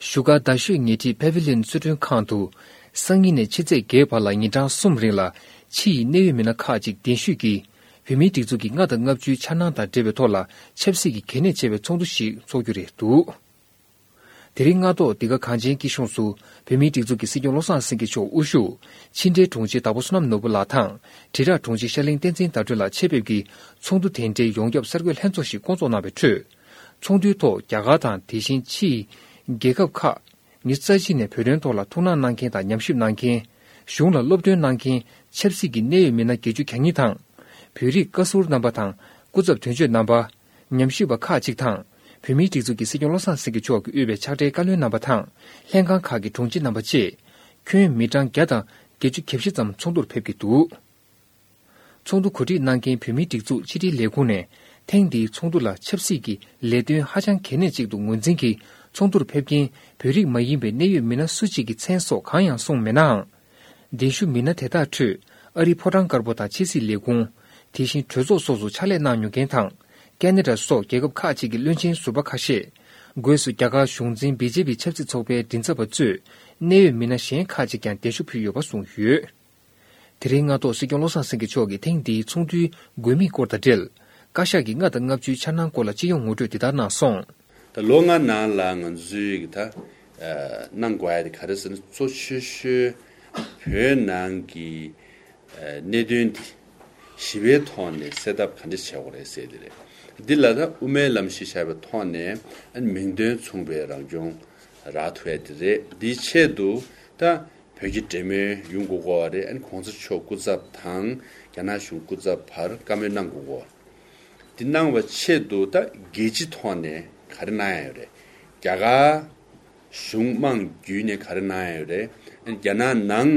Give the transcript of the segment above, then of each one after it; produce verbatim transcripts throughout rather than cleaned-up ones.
བཞུགས་སྒར་རྡ་ཤོད་ཉེ་འཁྲིས་Pavilion་ཚུལ་ཁྲིམས་ཁང་དུ། སང་ཉིན་ནས་ཕྱི་ཚེས་བརྒྱད་བར་ལ་ཉིན་གྲངས་གསུམ་རིང་ལ་ཕྱི་ཡི་གནད་ཡོད་མི་སྣ་ཁག་ཅིག་གདན་ཞུས་ཀྱིས་བོད་མིའི་སྒྲིག་འཛུགས་ཀྱི་ལྔ་དང་ལྔ་བཅུའི་འཆར་སྣང་དང་འབྲེལ་བའི་ཐོག་ལ་ཆབ་སྲིད་ཀྱི་གལ་གནད་ཆེ་བའི་ཚོགས་འདུ་ཞིག་འཚོགས་རྒྱུ་རེད་འདུག་དེ་རིང་སྔ་དྲོ་འདི་ག་གངས་ཅན་སྐྱིད་གཤོངས་སུ་བོད་མིའི་སྒྲིག་འཛུགས་ཀྱི་སྲིད་སྐྱོང་བློ་བཟང་སེང་གེ་མཆོག་དབུ་བཞུགས་ཕྱི་འབྲེལ་དྲུང་ཆེ་དྭགས་པོ་བསོད་ནམས་ནོར་བུ་ལགས་དང་དྲིལ་བསྒྲགས་དྲུང་ཆེ་ཤར་གླིང་བསྟན་འཛིན་ཟླ་སྒྲོན་ལགས་ཆེད་ཕེབས་ཀྱིས་ཚོགས་འདུ་དེ་འབྲེལ་ཡོངས་ཁྱབ་གསར་འགོད་ལྷན་ཚོགས་ཤིག་བསྐོང་ཚོགས་གནང་བའི་ཁྲོད། ཚོགས་འདུའི་ཐོག་རྒྱ་གར་དང་དེ་བཞིན་ཕྱིའི་རྒྱལ་ཁབ་ཁག་ཉི་ཤུ་རྩ་གཅིག་ནས་བོད་དོན་ཐོག་ལ་ཐུགས་སྣང་གནང་མཁན་དང་ཉམས་ཞིབ་གནང་མཁན། གཞུང་ལ་སློབ་སྟོན་གནང་མཁན་ཆབ་སྲིད་ཀྱི་གནད་ཡོད་མི་སྣ་བརྒྱད་ཅུ་གྱ་གཉིས་དང་། བོད་རིགས་བཀའ་ཟུར་རྣམ་པ་དང་སྐུ་ཚབ་དོན་གཅོད་རྣམ་པ། ཉམས་ཞིབ་པ་ཁག་ཅིག་དང་། བོད་མིའི་སྒྲིག་འཛུགས་ཀྱི་སྲིད་སྐྱོང་བློ་བཟང་སེང་གེ་མཆོག་གིས་དབུས་པའི་ཕྱག་སྦྲེལ་བཀའ་བློན་རྣམ་པ་དང་། ལྷན་ཁང་ཁག་གི་དྲུང་ཆེ་རྣམ་པ་བཅས། ཁྱོན་མི་གྲངས་བརྒྱ་དང་བརྒྱད་ཅུ་གྱ་བཞི་ཙམ་ཚོགས་འདུར་ཕེབས་ཀྱི་འདུག་ཚོགས་འདུ་གོ་སྒྲིག་གནང་མཁན་བོད་མིའི་སྒྲིག་འཛུགས་ཕྱི་དྲིལ་ལས་ཁུངས་ནས་ཐེངས་འདིའི་ཚོགས་འདུ་ལ་ཆབ་སྲིད་ཀྱི་ལས་དོན་ཧ་ཅང་གལ་གནད་ཅིག་ཏུ་ངོས་འཛིན་གྱིས་ཚོགས་འདུར་ཕེབས་མཁན་བོད་རིགས་མ་ཡིན་པའི་གནད་ཡོད་མི་སྣ་སུ་གཅིག་གི་མཚན་སོགས་གང་ཡང་གསུངས་མེད་ནའང་། གདན་ཞུ་མི་སྣ་དེ་དག་ཁྲོད་ཨ་རིའི་ཕོ་བྲང་དཀར་པོ་དང་ཕྱི་སྲིད་ལས་ཁུངས། དེ་བཞིན་གྲོས་ཚོགས་སོགས་སུ་ཕྱག་ལས་གནང་མྱོང་མཁན་དང་། ཀེ་ན་ཌ་སོགས་རྒྱལ་ཁབ་ཁག་ཅིག་གི་བློན་ཆེན་ཟུར་པ་ཁ་ཤས། སྒོས་སུ་རྒྱ་གར་གཞུང་འཛིན་བི་ཇེ་པི་ཆབ་སྲིད་ཚོགས་པའི་མགྲིན་ཚབ་པ་གཙོས་གནད་ཡོད་མི་སྣ་གཞན་ཁག་ཅིག་ཀྱང་གདན་ཞུ་ཕུལ་ཡོད་པ་གསུངས་ཡོད། དེ་རིང་སྔ་དྲོ་སྲིད་སྐྱོང་བློ་བཟང་སེང་གེ་མཆོག་གིས་ཐེངས་འདིའི་ཚོགས་འདུའི་དགོས་དམིགས་སྐོར་དང་འབྲེལ། བཀའ་ཤག་གི་ལྔ་དང་ལྔ་བཅུའི་འཆར་སྣང་སྐོར་ལ་སྤྱི་ཡོངས་ངོ་སྤྲོད་འདི་ལྟར་གནང་སོང་། ད་ལོ་ལྔ་ནང་ལ་ང་ཚོས་ད་གནང་དགོས་ཡ་དེ་ག་རེ་ཟེར་ན། གཙོ་ཆེ་ཤོས་བོད་ནང་གི་གནད་དོན་འདི་ཞི་བའི་ཐོག་ནས་སེལ་ཐབས་ག་འདྲ་བྱེད་དགོས་རེད་ཟེར་དེ་རེད། འདི་ལ་ད་དབུ་མའི་ལམ་གཞི་བཞག་པའི་ཐོག་ནས་མིང་དོན་མཚུངས་པའི་རང་སྐྱོང་རག་ཐུབ་ཡ་དེ་རེད། འདིའི་ཆེད་དུ་ད་བོད་ཀྱི་འབྲེལ་མོལ་ཡོང་དགོས་ཀྱི་ཡོད་རེད། ཨ་ནི་གོང་ས་མཆོག་སྐུ་ཚབ་དང་རྒྱ་ནག་གཞུང་སྐུ་ཚབ་བར་བཀའ་མོལ་གནང་དགོས་ཀྱི་ཡོད་རེད། འདི་གནང་བའི་ཆེད་དུ་ད་རྒྱལ་སྤྱིའི་ཐོག་ནས་ག་རེ་གནང་ཡ་ཡོད་རེད། རྒྱ་གར་གཞུང་དམངས་བརྒྱུད་ནས་ག་རེ་གནང་ཡ་ཡོད་རེད། ཨ་ནི་རྒྱ་ནག་ནང་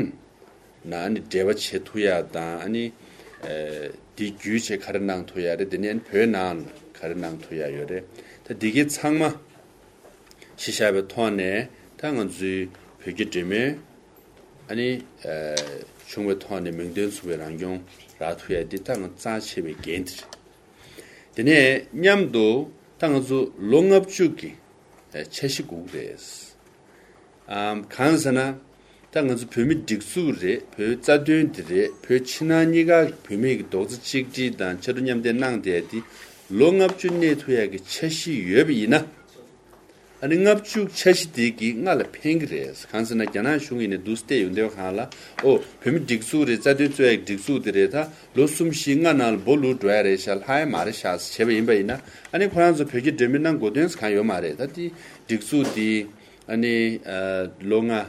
ན་ཨ་ནི་འབྲེལ་བ་བྱེད་ཐུབ་ཡ་དང་། ཨ་ནི་ཨ་འདི་བརྒྱུད་བྱས་ག་རེ་གནང་ཐུབ་ཡ་རེད། དེ་ནས་ཨ་ནི་བོད་ནང་ལ་ག་རེ་གནང་ཐུབ་ཡ་ཡོད་རེད། ད་འདི་གའི་ཚང་མ་གཞི་བཞག་པའི་ཐོག་ནས་ད་ང་ཚོའི་བོད་ཀྱི་འབྲེལ་མོལ་ཨ་ནི་ཨ་བྱུང་བའི་ཐོག་ནས་མིང་དོན་མཚུངས་པའི་རང་སྐྱོང་རག་ཐུབ་ཡ་འདི་ད་ང་རྩ་ཆེ་བའི་འགན་དེ་རེད། དེ་ནས་མཉམ་དུ་ད་ང་ཚོ་ལོ་ལྔ་བཅུ་གི་འཆར་གཞི་སྒུག་རེད། ཨམ་གང་ཟེར་ན། ད་ང་ཚོ་བོད་མི་སྒྲིག་འཛུགས་རེད། བོད་རྩ་དོན་འདི་རེད། བོད་ཕྱི་ནང་གཉིས་ཀ་བོད་མི་གི་རྡོག་རྩ་གཅིག་སྒྲིལ་དང་ཕྱར་གྲུ་མཉམ་འདེགས་གནང་བསྡད་དེ་ལོ་ལྔ་བཅུ་གནས་ཐུབ་ཡག་གི་འཆར་གཞི་ཡོད་པ་ཡིན་ན། ཨ་ནི་ལྔ་བཅུ་འཆར་གཞི་དེ་གིས་སྔ་ལ་ཕན་གི་རེད། གང་ཟེར་ན་རྒྱ་ནག་གཞུང་ཡིན་ནའི་འདུག་སེ་བལྟས་ཡོང་དུས་སྒང་ལ། ཨོ་བོད་མི་སྒྲིག་འཛུགས་རེད། རྩ་དོན་རྩོད་ཡག་སྒྲིག་འཛུགས་དེ་རེད། ད་ལོ་གསུམ་བཞི་ལྔ་ནང་ལ་སྦོ་ལུག་འགྲོ་ཡ་རེད་ཤག་ལྷག་ཡ་མ་རེད་ཤག་བྱས་པ་ཡིན་པ་ཡིན་ན། ཨ་ནི་ཁོ་རང་ཚོ་བོད་ཀྱི་འབྲེལ་མོལ་གནང་དགོས་དོན་གང་ཡོད་མ་རེད། ད་དེ་སྒྲིག་འཛུགས་དེ་ཨ་ནི་ཨ་ལོ་ལྔ་ཨ་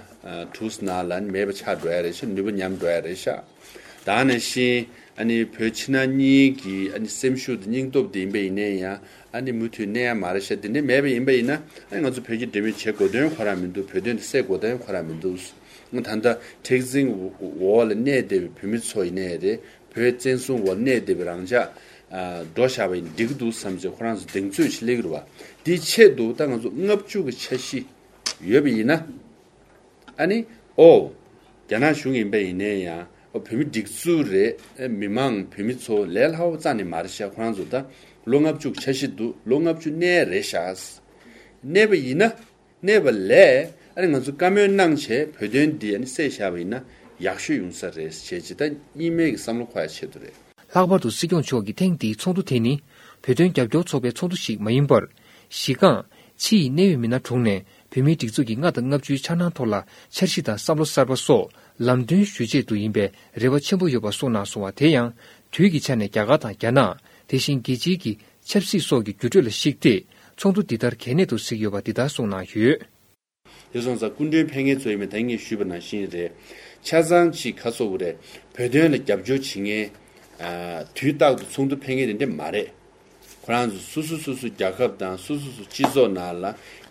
དྲུག་ནང་ལ་ཨ་ནི་མེད་པ་ཆགས་འགྲོ་ཡ་རེད་ཤག་ནུས་པ་ཉམས་འགྲོ་ཡ་རེད་ཤག་ད་ག་ནང་བཞིན་ཨ་ནི་བོད་ཕྱི་ནང་གཉིས་ཀྱི་ཨ་ནི་སེམས་ཤུགས་དང་སྙིང་སྟོབས་དེ་ཡིན་པ་ཡིན་ན་ཡང་ཨ་ནི་མུ་མཐུད་གནས་ཡ་མ་རེད་ཤག་དེ་འདྲ་མེད་པ་ཡིན་པ་ཡིན་ན། ཨ་ནི་ང་ཚོ་བོད་ཀྱི་འབྲེལ་མོལ་བྱེད་དགོས་དོན་ཁོ་རང་མི་འདུག་བོད་དོན་དེ་སེལ་དགོས་དོན་ཁོ་རང་མི་འདུག་ད་ལྟ་མཁྲེགས་འཛིན་འོག་ལ་གནས་བསྡད་པའི་བོད་མི་ཚོ་ཡིན་ནའི་རེད། བོད་བཙན་བཟུང་འོག་ལ་གནས་བསྡད་པའི་རང་ཅག་ཨ་འགྲོ་བཞག་པ་ཡིན་འགྲིག་གི་འདུག་བསམ་བྱས་ཁོ་རང་ཚོ་གདེང་ཚོད་ཅིག་སླེབས་ཀྱི་རེད་བ། དེའི་ཆེད་དུ་ད་ང་ཚོ་ལྔ་བཅུ་གི་འཆར་གཞི་ཡོད་པ་ཡིན་ན། ཨ་ནི་ཨོ་རྒྱ་ནག་གཞུང་ཡིན་པ་ཡིན་ནའི་ཡང་ཨོ་བོད་མི་སྒྲིག་འཛུགས་རེད། མི་མང་བོད་མི་ཚོ་ལས་སླ་བོ་རྩ་ནས་མ་རེད་ཤག་ཁོ་རང་ཚོ་ད་ལོ་ལྔ་བཅུ་འཆར་གཞི་འདུག་ལོ་ལྔ་བཅུ་གནས་རེད་ཤག་གནས་པ་ཡིན་ན། གནས་པ་ལས་ཨ་ནི་ང་ཚོ་བཀའ་མོལ་གནང་བྱས་བོད་དོན་འདི་ཨ་ནི་སེལ་བཞག་པ་ཡིན་ན་ཡག་ཤོས་ཡོང་ས་རེད་ཟེར་བྱས་ཅིག་ད་གཉིས་སྨན་གྱི་བསམ་བློ་འཁོར་ཡ་ཆེད་དུ་རེད། ལྷག་པར་དུ་སྲིད་སྐྱོང་མཆོག་གིས་ཐེངས་འདིའི་ཚོགས་འདུ་དེ་ནི་བོད་དོན་རྒྱབ་སྐྱོར་ཚོགས་པའི་ཚོགས་འདུ་ཞིག་མ་ཡིན་པར། གཞི་རྐང་ཕྱི་ཡི་གནད་ཡོད་མི་སྣ་དྲུང་ནས་བོད་མིའི་སྒྲིག་འཛུགས་ཀྱི་ལྔ་དང་ལྔ་བཅུའི་འཆར་སྣང་ཐོག་ལ་འཆར་གཞི་དང་བསམ་བློ་གསར་པ་སོགས་ལམ་སྟོན་ཞུ་ཆེད་དུ་ཡིན་པའི་རེ་བ་ཆེན་པོ་ཡོད་པ་གསུངས་གནང་སོང་བ། དེ་ཡང་དུས་ཀྱི་ཆ་ནས་རྒྱ་གར་དང་རྒྱ་ནག་དེ་བཞིན་རྒྱལ་སྤྱིའི་གི་ཆབ་སྲིད་སོགས་ཀྱི་འགྱུར་འགྲོས་ལ་གཞིགས་ཏེ་ཚོགས་འདུ་འདི་ལྟར་གལ་གནད་དུ་གཟིགས་ཡོད་པ་འདི་ལྟར་གསུངས་གནང་ཡོད། དེ་སོང་ཙང་སྐུ་མགྲོན་ཕེབས་མཁན་ཚོ་ཡིན་པ་ད་ངས་ཞུས་པ་ནང་བཞིན་རེད། ཆ་ཚང་ཅིག་ག་ཚོད་རེད། བོད་དོན་ལ་རྒྱབ་སྐྱོར་བྱེད་མཁན་ཨ་དུས་རྟག་ཏུ་ཚོགས་འདུ་ཕེབས་མཁན་དེ་འདྲ་མ་རེད། ཁོ་རང་ཚོ་སོ་སོ་སོ་སོ་རྒྱལ་ཁབ་དང་སོ་སོ་སོ་སྤྱི་ཚོགས་ནང་ལ་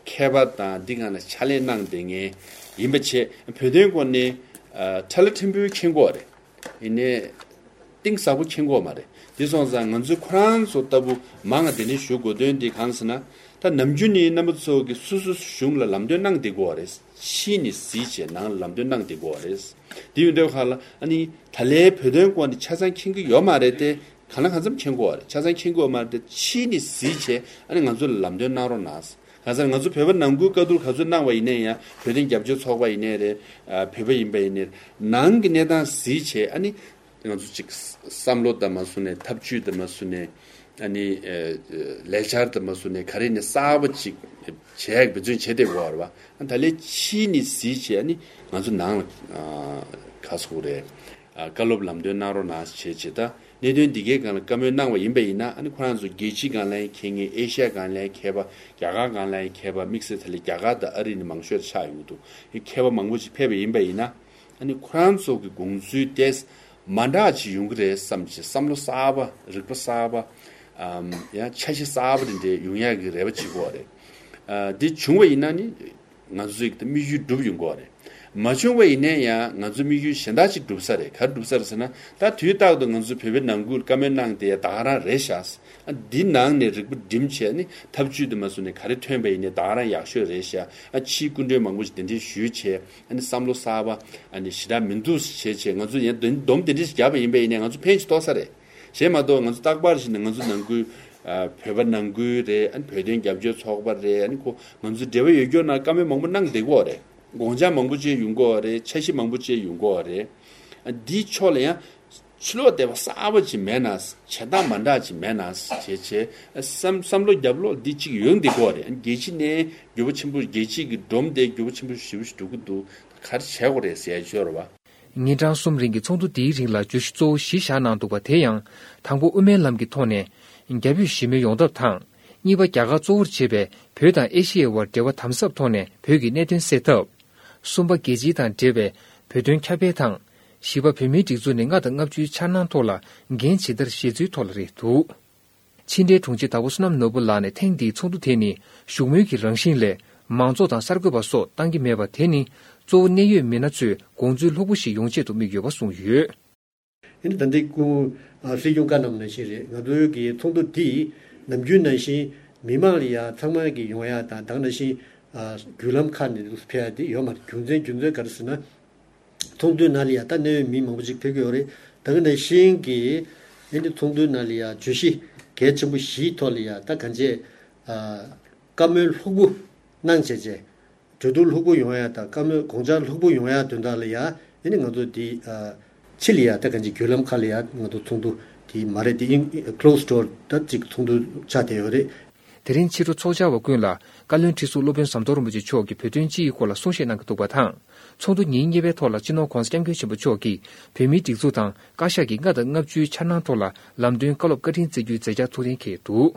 མཁས་པ་དང་འདི་སྒང་ལ་ཕྱག་ལས་གནང་བསྡད་མཁན་ཡིན་པ་བྱས། བོད་དོན་སྐོར་ནས་ཨ་ཁྲ་ལ་ཕྲན་བུ་མཁྱེན་གྱི་ཡོད་རེད། ཡིན་ནའི་གཏིང་ཟབ་པོ་མཁྱེན་གྱི་ཡོད་མ་རེད། དེ་སོང་ཙང་ང་ཚོས་ཁོ་རང་ཚོ་ལྟ་བུ་མང་ང་དེ་ནས་ཞུ་དགོས་དོན་དེ་གང་ཟེར་ན། ད་ནམ་རྒྱུན་ནི་རྣམ་པ་ཚོ་གིས་སོ་སོ་གཞུང་ལ་ལམ་སྟོན་གནང་བསྡད་ཀྱི་ཡོད་རེད། ཕྱིས་ནས་གཟིགས་བྱས་ནང་ལ་ལམ་སྟོན་གནང་བསྡད་ཀྱི་ཡོད་རེད། དེ་ཡོད་དུས་ཁ་ལ་ཨ་ནི་ད་ལན་བོད་དོན་སྐོར་ནས་ཆ་ཚང་མཁྱེན་གྱི་ཡོད་མ་རེད་དེ། གང་ལ་གང་འཚམ་མཁྱེན་གྱི་ཡོད་རེད། ཆ་ཚང་མཁྱེན་གྱི་ཡོད་མ་རེད་དེ། ཕྱིས་ནས་གཟིགས་བྱས་ཨ་ནི་ང་ཚོ་ལ་ལམ་སྟོན་གནང་རོགས་གནང་། ང་ཚོ་ང་ཚོ་བོད་པ་ནང་ཁུལ་བཀའ་བསྡུར་ག་ཚོད་གནང་བ་ཡིན་ནའི་ཡང་བོད་དོན་རྒྱབ་སྐྱོར་ཚོགས་པ་ཡིན་ནའི་རེད། ཨ་བོད་པ་ཡིན་པ་ཡིན་ནའི་རེད། ནང་གི་གནས་སྟངས་གཟིགས་བྱས། ཨ་ནི་ང་ཚོ་ཅིག་བསམ་བློ་དང་མ་བཟུང་ནས་ཐབས་ཇུས་དང་མ་བཟུང་ནས། ཨ་ནི་ཨ་ལས་འཆར་དང་མ་བཟུང་ནས་ག་རེ་ནས་གསར་པ་ཅིག་བྱས་འབད་བརྩོན་བྱས་བསྡད་ཡོད་རེད་བ། ཨ་ད་ལས་ཕྱིས་ནས་གཟིགས་བྱས། ཨ་ནི་ང་ཚོ་ནང་ལ་ཨ་ག་ཟེར་དགོས་རེད། ཨ་བཀའ་སློབ་ལམ་སྟོན་གནང་རོགས་གནང་བྱས་བྱས། ད་གནད་དོན་འདི་གའི་སྒང་ལ་བཀའ་མོལ་གནང་བ་ཡིན་པ་ཡིན་ན། ཨ་ནི་ཁོ་རང་ཚོ་རྒྱལ་སྤྱིའི་སྒང་ལ་ཡང་མཁས་མཁན། ཨེ་ཤ་ཡ་སྒང་ལ་ཡང་མཁས་པ། རྒྱ་གར་སྒང་ལ་ཡང་མཁས་པ། དམིགས་བསལ་ད་ལས་རྒྱ་གར་དང་ཨ་རི་ནས་མང་ཤོས་ཆགས་ཡོང་གི་འདུག་མཁས་པ་མང་པོ་ཅིག་ཕེབས་པ་ཡིན་པ་ཡིན་ན། ཨ་ནི་ཁོ་རང་ཚོ་གི་དགོངས་ཚུལ་དེ་མ་འདྲ་ཅིག་ཡོང་གི་རེད་བསམ་བྱས། བསམ་བློ་གསར་པ། རིག་པ་གསར་པ། ཨམ་ཡང་འཆར་གཞི་གསར་པ་དེ་འདྲ་ཡོང་ཡག་གི་རེ་བ་བྱེད་ཀྱི་ཡོད་རེད། ཨ་འདི་བྱུང་བ་ཡིན་ན་ནི་ང་ཚོའི་གི་དམིགས་ཡུལ་འགྲུབ་ཡོང་གི་ཡོད་རེད། མ་བྱུང་བ་ཡིན་ན་ཡང་ང་ཚོའི་དམིགས་ཡུལ་གཞན་དག་ཅིག་འགྲུབ་ས་རེད། ག་རེ་འགྲུབ་ས་རེད་ཟེར་ན། ད་དུས་རྟག་ཏུ་ང་ཚོ་བོད་པའི་ནང་ཁུལ་བཀའ་མོལ་གནང་དེ་ད་ག་རང་རེད་ཤག་ཨ་འདི་ནང་ནས་རིག་པ་སྒྲིམ་བྱས་ནས་ཐབས་ཇུས་དེ་མ་བཟུང་ནས་ག་རེ་ཐོན་པ་ཡིན་ནའི་ད་ག་རང་ཡག་ཤོས་རེད་ཤག་ཨ་ཕྱིའི་སྐུ་མགྲོན་མང་པོ་ཞིག་གདན་འདྲེན་ཞུས་བྱས། ཨ་ནི་བསམ་བློ་གསར་པ། ཨ་ནི་ཞེ་དྲག་མི་འདུག་བྱས་བྱས། ང་ཚོ་ཡང་སྡོམ་སྡོམ་དེ་འདྲ་ཞིག་བརྒྱབ་པ་ཡིན་པ་ཡིན་ནའི་ང་ཚོ་ཕན་ཅིག་ཐོགས་ས་རེད། གཞན་མ་གཏོགས་ང་ཚོ་རྟག་པར་བཞིན་ང་ཚོ་ནང་ཁུལ་ཨ་བོད་པ་ནང་ཁུལ་རེད། ཨ་ནི་བོད་དོན་རྒྱབ་སྐྱོར་ཚོགས་པ་རེད། ཨ་ནི་ཁོ་ང་ཚོ་འབྲེལ་བ་ཡོད་སྐྱོར་ནང་བཀའ་མོལ་མང་པོ་གནང་བསྡད་ཀྱི་ཡོད་རེད། དགོངས་འཆར་མང་པོ་ཅིག་ཡོང་གི་ཡོད་རེད། འཆར་གཞི་མང་པོ་ཅིག་ཡོང་གི་ཡོད་རེད། ཨ་འདིའི་ཕྱོགས་ལ་ཡང་ཕྱི་ལོགས་དེ་བ་གསར་པ་ཅིག་མེད་ན། བྱེད་སྟངས་མ་འདྲ་ཅིག་མེད་ན་བྱས་བྱས། བསམ་བསམ་བློ་རྒྱབ་ལོག་འདི་གཅིག་ཡོང་བསྡད་ཀྱི་ཡོད་རེད། རྒྱལ་སྤྱི་ནས་འགྱུར་བ་ཆེན་པོ། རྒྱལ་སྤྱི་གི་སྒྲོམ་དེ་འགྱུར་བ་ཆེན་པོ་ཞེ་པོ་ཞིག་འགྲོ་གི་འདུག་ག་རེ་བྱེད་དགོས་རེད་ཟེར་ཡ་ཅིག་ཡོད་རེད་བ། ཉིན་གྲངས་གསུམ་རིང་གི་ཚོགས་འདུ་འདིའི་རིང་ལ་བརྗོད་གཞི་གཙོ་བོ་བཞི་བཞག་གནང་འདུག་པ། དེ་ཡང་དང་པོ་དབུ་མའི་ལམ་གྱི་ཐོག་ནས་རྒྱ་བོད་ཞི་མོལ་ཡོང་ཐབས་དང་། གཉིས་པ་རྒྱ་གར་གཙོ་བོར་བྱེད་པའི་བོད་དང་ཨེ་ཤི་ཡའི་དབར་འབྲེལ་བ་དམ་ཟབ་ཐོག་ནས་བོད་ཀྱི་གནད་དོན་སེལ་ཐབས། གསུམ་པ་རྒྱལ་སྤྱི་དང་འབྲེལ་བའི་བོད་དོན་ཁྱབ་སྤེལ་དང་། བཞི་པ་བོད་མིའི་སྒྲིག་འཛུགས་ནས་ལྔ་དང་ལྔ་བཅུའི་འཆར་སྣང་ཐོག་ལ་འགན་ཇི་ལྟར་བཞེས་ཚུལ་ཐོག་ལ་རེད་འདུག་ཕྱི་འབྲེལ་དྲུང་ཆེ་དྭགས་པོ་བསོད་ནམས་ནོར་བུ་ལགས་ནས་ཐེངས་འདིའི་ཚོགས་འདུ་དེ་ནི་བཞུགས་མོལ་གྱི་རང་བཞིན་ལས་མང་ཚོགས་དང་གསར་འགོད་པ་སོགས་བཏང་གི་མེད་པ་དེ་ནི་གཙོ་བོ་གནད་ཡོད་མི་སྣ་ཚོས་དགོངས་ཚུལ་ལྷུག་པོ་ཞིག་ཡོང་ཆེད་དུ་དམིགས་ཡོད་པ་གསུངས་ཡོད། ཨ་ནི་ད་ལྟའི་སྐུ་ཨ་སྲིད་སྐྱོང་བཀའ་གནང་ནང་བཞིན་རེད། ང་ཚོའི་གི་ཚོགས་འདུ་འདི་ནམ་རྒྱུན་ནང་བཞིན་མི་མང་ལ་ཡ་ཚང་མ་གི་ཡོང་ཡ་དང་། ད་ག་ནང་བཞིན་ཨ་བརྒྱུད་ལམ་ཁག་ནས་ཕེབས་ཡ་དེ་ཡོད་མ་རེད། རྒྱུ་མཚན་རྒྱུ་མཚན་ག་རེ་ཟེར་ན། ཚོགས་འདུའི་ནང་ལ་ཡ་ད་གནད་ཡོད་མི་མང་པོ་ཅིག་ཕེབས་ཀྱི་ཡོད་རེད། ད་ག་ནང་བཞིན་གི་ཨ་ནི་ཚོགས་འདུའི་ནང་ལ་ཡ་བརྗོད་གཞི་གལ་ཆེན་པོ་བཞིའི་ཐོག་ལ་ཡ་ད་གང་ཅི་ཨ་བཀའ་མོལ་ལྷུག་པོ་གནང་བྱས་བྱས། གྲོས་བསྡུར་ལྷུག་པོ་ཡོང་ཡ་དང་། བཀའ་མོལ་དགོངས་འཆར་ལྷུག་པོ་ཡོང་ཡ་དོན་དག་ལ་ཡ། ཨ་ནི་ང་ཚོ་འདི་ཨ་ཕྱི་ལ་ཡ་ད་གང་ཅི་བརྒྱུད་ལམ་ཁག་ལ་ཡ་ང་ཚོ་ཚོགས་འདུ་འདི་མ་རེད། འདི་ཨིན་closed door ད་ཅིག་ཚོགས་འདུ་ཆགས་བསྡད་ཡོད་རེད། དེ་རིང་ཕྱི་དྲོ་ཚོགས་བཅར་བ་ཀུན་ལ་བཀའ་བློན་ཁྲི་ཟུར་སློབ་དཔོན་ཟམ་གདོང་རིན་པོ་ཆེ་མཆོག་གིས་བོད་དོན་སྤྱི་ཡི་སྐོར་ལ་གསུང་བཤད་གནང་གི་འདུག་པ་དང་། ཚོགས་འདུ་ཉིན་གཉིས་པའི་ཐོག་ལ་སྤྱི་ནོར་༧གོང་ས་༧སྐྱབས་མགོན་ཆེན་པོ་མཆོག་གིས་བོད་མིའི་སྒྲིག་འཛུགས་དང་བཀའ་ཤག་གི་ལྔ་དང་ལྔ་བཅུའི་འཆར་སྣང་ཐོག་ལ་ལམ་སྟོན་བཀའ་སློབ་བཀའ་དྲིན་བསྩལ་རྒྱུའི་མཛད་འཆར་ཐུགས་གཏན་འཁེལ་འདུག